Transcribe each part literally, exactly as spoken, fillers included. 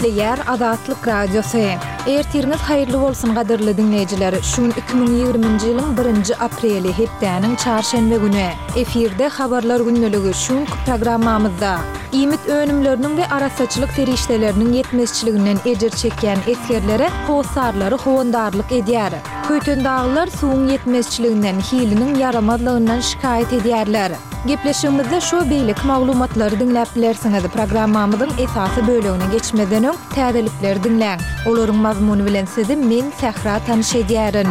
Gepleýär Azatlyk Radiosy. Ertiriňiz haýyrly bolsun gadyrly diňleýjiler. Şu gün iki müň ýigriminji ýylyň birinji apreli, hepdäniň çarşenbe güni. Efirde Habarlar gündeligi şu günki programmamyzda. Iýmit önümleriniň we arassaçylyk serişdeleriniň ýetmezçiliginden ejir çekýän esgerlere hossarlary howandarlyk edýär. Köýtendaglylar suwuň ýetmezçiliginden, hiliniň ýaramazlygyndan şikaýat edýärler. Gepleşigimizde şu we beýleki maglumatlary diňläp bilersiňiz. Programmamyzyň esasy bölegine geçmezden öň, täzelikleri diňläň. Olaryň mazmuny bilen sizi men, Sähra tanyş edýärin.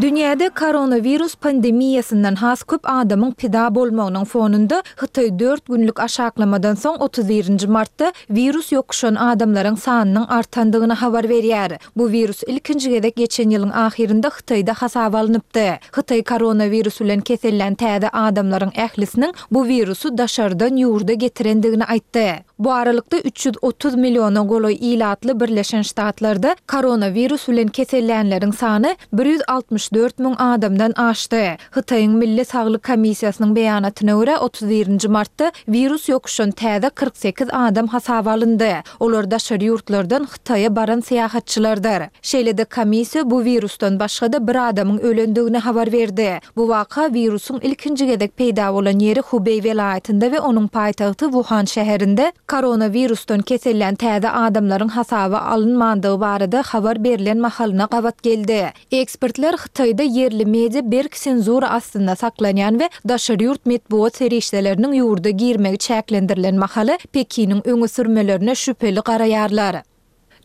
Dünýäde koronawirus pandemiýasyndan has köp adamyň pida bolmagynyň fonunda Hytaý dört günlük aşaklamadan soň otuz birinji martda wirus ýokuşan adamlaryň sanynyň artandygyny habar berýär. Bu wirus ilkinji gezek geçen ýylyň ahyrynda Hytaýda hasaba alnypdy. Hytaý koronawirus bilen kesellän täze adamlaryň ählisiniň bu wirusy daşardan ýurda getirendigini aýtdy. Bu aralykda, üç ýüz otuz milliona golaý ilatly Birleşen Ştatlarda koronawirus bilen kesellänleriň sany bir ýüz altmyş dört müň adamdan aşdy. Hytaýyň Milli saglyk komissiýasynyň beýanatyna görä, otuz birinji martda wirus ýokuşan täze kyrk sekiz adam hasaba alyndy. Olar daşary ýurtlardan Hytaýa baran syýahatçylardyr. Şeýle-de komissiýa bu wirusdan başga-da bir adamyň ölendigini habar berdi. Bu waka wirusyň ilkinji gezek peýda bolan ýeri Hubeý welaýatynda we onuň paýtagty Wuhan şäherinde koronawirusdan kesellän täze adamlaryň hasaba alynmandygy barada habar berlen mahalyna gabat geldi. Ekspertler Hytaýda ýerli media berk senzura astynda saklanýan we daşary ýurt metbugat serişdeleriniň ýurda girmegi çäklendirilen mahaly Pekiniň öňe sürmelerine şübheli garaýarlar.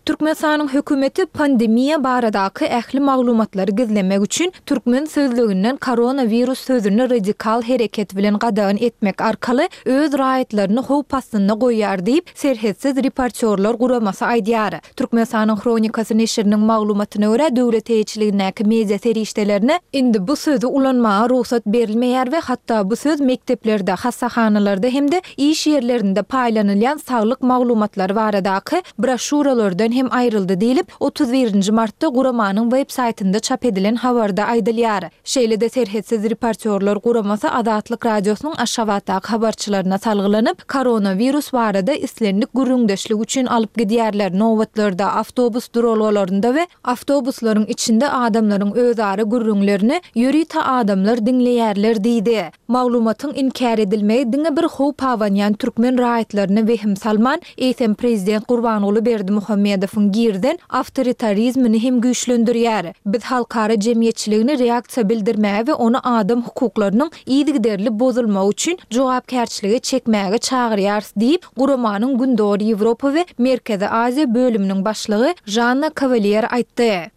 Türkmenistanyň hökümeti pandemiýa baradaky ähli maglumatlary gizlemek üçin türkmen sözlüginden koronawirus sözüni radikal hereket bilen gadagan etmek arkaly öz raýatlaryny howp astynda goýýar diýip, Serhetsiz reportýorlar guramasy aýdýar. Türkmenistanyň Hronikasy neşiriniň maglumatyna görä, döwlet eýeçiligindäki media serişdelerine indi bu sözi ulanmaga rugsat berilmeýär we hatda bu söz mekdeplerde, hassahanalarda hem-de iş ýerlerinde paýlanylýan saglyk maglumatlary baradaky broşýuralardan hem aýryldy diýlip, otuz birinji martda guramanyň web saýtynda çap edilen habarda aýdylýar. Şeýle-de Serhetsiz reportýorlar guramasy Azatlyk Radiosynyň Aşgabatdaky habarçylaryna salgylanyp, koronawirus barada islendik gürrüňdeşlik üçin alyp gidýärler, nobatlarda, awtobus duralgalarynda we awtobuslaryň içinde adamlaryň özara gürrüňlerini ýörite adamlar diňleýärler diýdi. Maglumatyň inkär edilmegi diňe bir howp abanýan türkmen raýatlaryna wehim salman, eýsem prezident Gurbanguly Berdimuhamedowyň girizen awtoritarizmini hem güýçlendirýär. Biz halkara jemgyýetçiligini reaksiýa bildirmäge we ony adam hukuklarynyň yzygiderli bozulmagy üçin jogapkärçilige çekmäge çagyrýarys diýip, guramanyň Gündogar Ýewropa we Merkezi Aziýa bölüminiň başlygy Žanna Kawalýer aýtdy.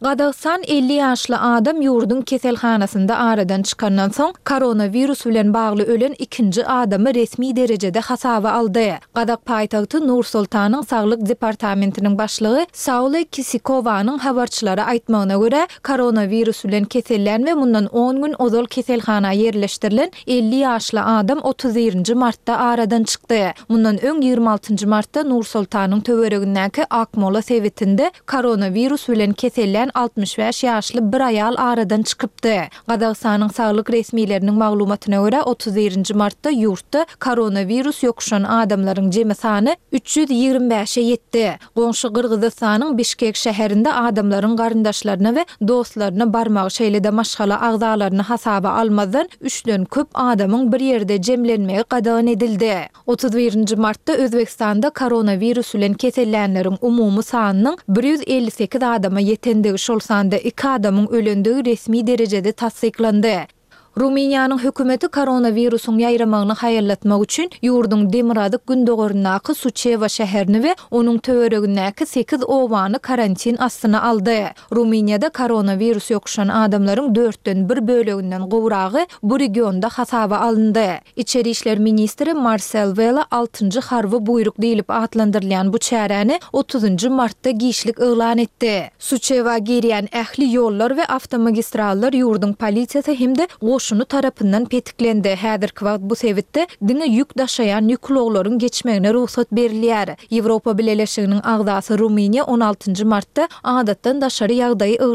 Gazagystan elli ýaşly adam ýurduň keselhanasynda aradan çykandan soň, koronawirus bilen bagly ölen ikinji adamy resmi derejede hasaba aldy. Gazak paýtagty Nur-Sultanyň saglyk departamentiniň başlygy Saule Kisikowanyň habarçylara aýtmagyna görä, koronawirus bilen kesellän we mundan on gün ozal keselhana ýerleşdirilen elli ýaşly adam otuz birinji martda aradan çykdy. Mundan öň ýigrimi altynjy martda Nur-Sultanyň töweregindäki Akmola sebitinde koronawirus bilen kesellän altmyş bäş ýaşly bir aýal aradan çykypdy. Gazagystanyň saglyk resmileriniň maglumatyna görä, otuz birinji martda ýurtda koronawirus ýokuşan adamlaryň jemi sany üç ýüz ýigrimi bäşe ýetdi. Goňşy Gyrgyzystanyň Bişkek şäherinde adamlaryň garyndaşlaryna we dostlaryna barmagy, şeýle-de maşgala agzalaryny hasaba almazdan, üçden köp adamyň bir ýerde jemlenmegi gadagan edildi. Otuz birinji martda Özbegistanda koronawirus bilen kesellänleriň umumy sanynyň bir ýüz elli sekiz adama ýetendigi, şol sanda iki adamyň ölendigi resmi derejede tassyklandy. Rumyniýanyň hökümeti koronawirusyň ýaýramagyny haýallatmak üçin ýurduň demirgazyk-gündogaryndaky Suçewa şäherini we onuň töweregindäki sekiz obany karantin astyna aldy. Rumyniýada koronawirus ýokuşan adamlaryň dörtden bir böleginden gowragy bu regionda hasaba alyndy. Içeri işler ministri Marsel Wela altynjy harby buýruk diýlip atlandyrylýan bu çäräni otuzynjy martda giçlik yglan etdi. Suçewa girýän ähli ýollar we awtomagistrallar ýurduň polisiýasy hem-de goşuny tarapyndan petiklendi. Häzirki wagt bu sebitde diňe ýük daşaýan ýük ulaglaryň geçmegine rugsat berilýär. Ýewropa Bileleşiginiň agzasy Rumyniýa on altynjy martda adatdan daşary ýagdaýy yglan